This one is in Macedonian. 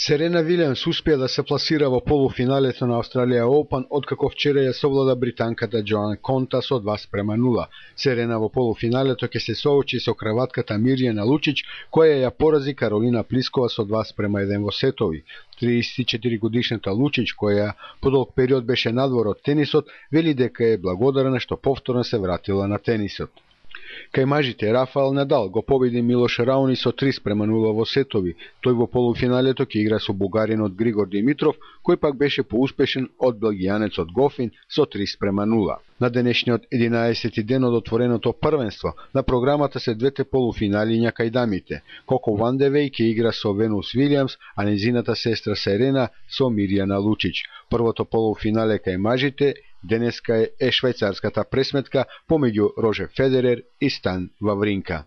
Серена Вилијамс успеа да се пласира во полуфиналето на Australian Open откако вчера ја совлада британката Джоан Конта со 2:0. Серена во полуфиналето ќе се соочи со крватката Мирјана Лучич, која ја порази Каролина Плискова со 2:1 во сетови. 34 годишната Лучич, која по долг период беше надвор од тенисот, вели дека е благодарна што повторно се вратила на тенисот. Кај мажите, Рафаел Надал го победи Милош Рауни со 3:0 во сетови. Тој во полуфиналето ќе игра со бугаринот Григор Димитров, кој пак беше поуспешен од белгијанецот Гофин со 3:0. На денешниот 11-ти ден од отвореното првенство, на програмата се двете полуфиналиња кај дамите. Коко Вандевеј ќе игра со Венус Вилијамс, а незината сестра Серена со Мирјана Лучич. Првото полуфинале кај мажите денеска е швајцарската пресметка помеѓу Рожер Федерер и Стан Вавринка.